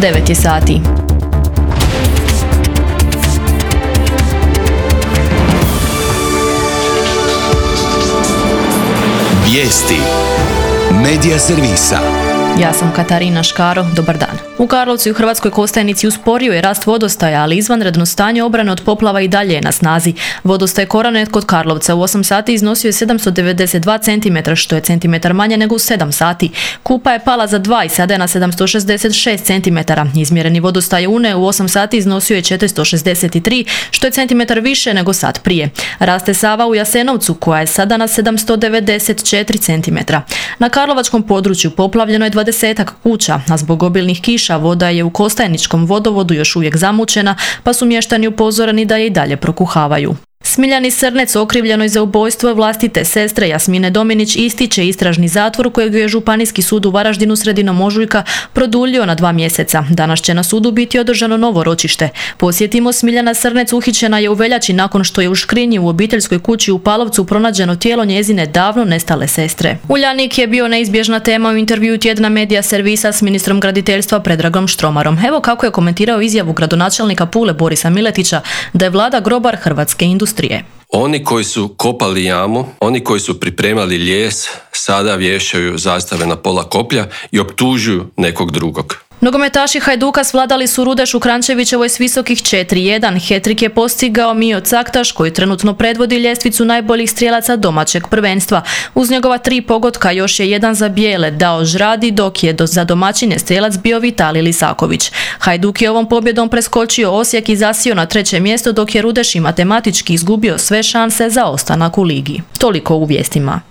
9 je sati. Vijesti Medija servisa. Ja sam Katarina Škaro, dobar dan. U Karlovcu i u Hrvatskoj Kostajnici usporio je rast vodostaja, ali izvanredno stanje obrane od poplava i dalje je na snazi. Vodostaj Koranet kod Karlovca u 8 sati iznosio je 792 cm, što je centimetar manje nego u 7 sati. Kupa je pala za 2 i sada je na 766 cm. Izmjereni vodostaj Une u 8 sati iznosio je 463, što je centimetar više nego sat prije. Raste Sava u Jasenovcu, koja je sada na 794 cm. Na karlovačkom području poplavljeno je 20-ak kuća, a zbog obilnih kiša voda je u Kostajničkom vodovodu još uvijek zamućena, pa su mještani upozoreni da je i dalje prokuhavaju. Smiljani Srnec, okrivljenoj za ubojstvo vlastite sestre Jasmine Dominić, ističe istražni zatvor kojeg je Županijski sud u Varaždinu sredinom ožujka produljio na 2 mjeseca. Danas će na sudu biti održano novo ročište. Posjetimo, Smiljana Srnec uhićena je u veljači nakon što je u škrinji u obiteljskoj kući u Palovcu pronađeno tijelo njezine davno nestale sestre. Uljanik je bio neizbježna tema u intervjuu tjedna Medija servisa s ministrom graditeljstva Predragom Štromarom. Evo kako je komentirao izjavu gradonačelnika Pule Borisa Miletića da je vlada grobar hrvatske industrije. Oni koji su kopali jamu, oni koji su pripremali lijes, sada vješaju zastave na pola koplja i optužuju nekog drugog. Nogometaši Hajduka svladali su Rudešu Krančevićevoj s visokih 4-1. Hetrik je postigao Mio Caktaš, koji trenutno predvodi ljestvicu najboljih strijelaca domaćeg prvenstva. Uz njegova 3 pogotka još je jedan za bijele dao Žradi, dok je za domaćine strijelac bio Vitalij Lisaković. Hajduk je ovom pobjedom preskočio Osijek i zasio na 3. mjesto, dok je Rudeš i matematički izgubio sve šanse za ostanak u ligi. Toliko u vijestima.